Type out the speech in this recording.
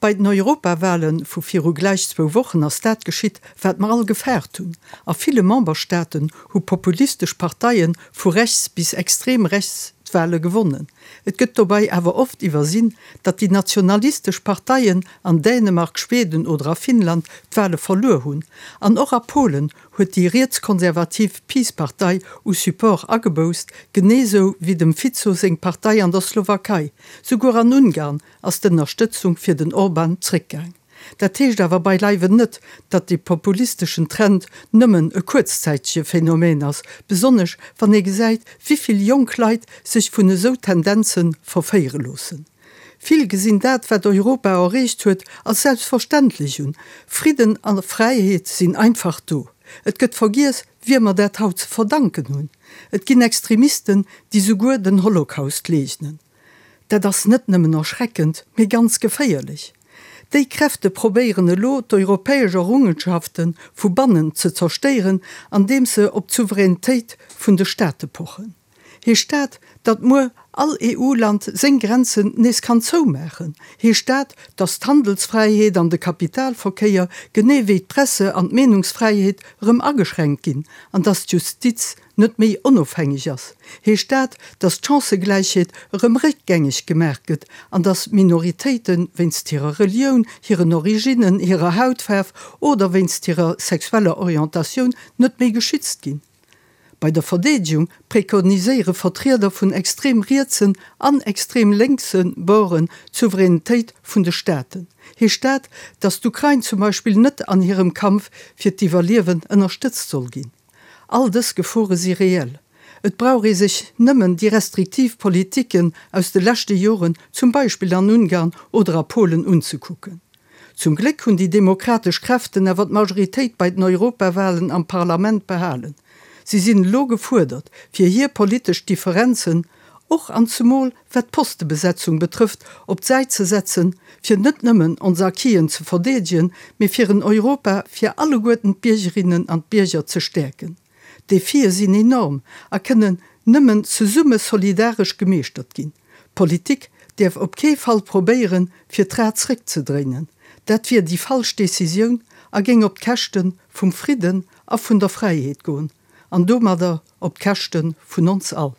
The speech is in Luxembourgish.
Bei den Europawale vu viru gläich zwou Wochen ass dat geschitt, wat mer all gefaart hunn. A ville Memberstaaten hu populistesch Parteie vu rechts bis extrem rechts d'Wale gewonnen. Et gëtt dobei awer oft iwwersinn, datt déi nationalistesch Parteien an Dänemark, Schweden oder a Finnland d'Wale verluer hunn. An och a Polen huet déi rietskonservativ PiS-Partei u Support ageboußt, genee sou wéi dem Fico seng Partei an der Slowakei. Souguer an Ungarn ass d'Ënnerstëtzung fir den Orban zréckgaang. Dat heescht awer beileiwen net, datt dee populisteschen Trend nëmmen e kuerzzäitege Phänomen ass, besonnesch wann ee gesäit, wivill jonk Leit sech vun esou Tendenze verféiere loossen. Vill gesinn dat, wat Europa erreecht huet, als selbstverständlech un. Fridden a Fräiheet sinn einfach do. Et gëtt vergiess, wiem mer dat haut ze verdanken hunn. Et ginn Extremisten, déi souguer den Holocaust leegnen. Dat ass net nëmmen erschreckend, mee ganz geféierlech. Déi Kräfte probéieren elo, d'europäesch Errungenschafte vu bannen ze zerstéieren, andeems se op d'Souveränitéit vun de Staate pochen. Heescht dat, datt muer all EU-Land seng Grenzen nees kann zoumaachen? Heescht dat, datt d'Handelsfräiheet an de Kapitalverkéier, genee wéi d'Presse an d'Meenungsfräiheet erëm ageschränkt ginn an datt d'Justiz net méi onofhängeg ass, heescht dat, datt d'Chancëgläichheet erëm réckgängeg gemaach gëtt an datt Minoritéite wéinst hirer Relioun, hiren Originnen, hirer Hautfaarf oder wéinst hirer sexueller Orientatioun net méi geschützt ginn. Bei der Verdeedegung prekoniséiere Vertrieder vun extrem rietsen an extrem lénkse Borden d'Souveränitéit vun de Staaten. Heescht dat, datt d'Ukrain zum Beispill net an hirem Kampf fir d'Iwwerliewen ënnerstëtzt soll ginn? All dës Gefore si reell. Et brauch ee sech nëmmen déi restriktiv Politiken aus de leschte Joren, zum Beispill an Ungarn oder a Polen, unzekucken. Zum Gléck hunn déi demokratesch Kräften awer d'Majoritéit bei den Europawahlen am Parlament behalen. Si sinn elo gefuerdert, fir hir politesch Differenzen, och an zemol wat d'Postebesetzung betrëfft, op d'Säit ze setzen, fir net nëmmen ons Acquisen ze verdeedegen, mee fir en Europa fir alleguerten d'Biergerinnen an d'Bierger ze stäerken. D'Defie sinn enorm a kënnen nëmmen zesumme solidaresch gemeeschtert ginn. D'Politik däerf op kee Fall probéieren, fir d'Rad zréckzedréinen. Dat wier déi falsch Decisioun a géing op d'Käschte vum Fridden a vun der Fräiheet goen an domadder op d'Käschte vun ons all.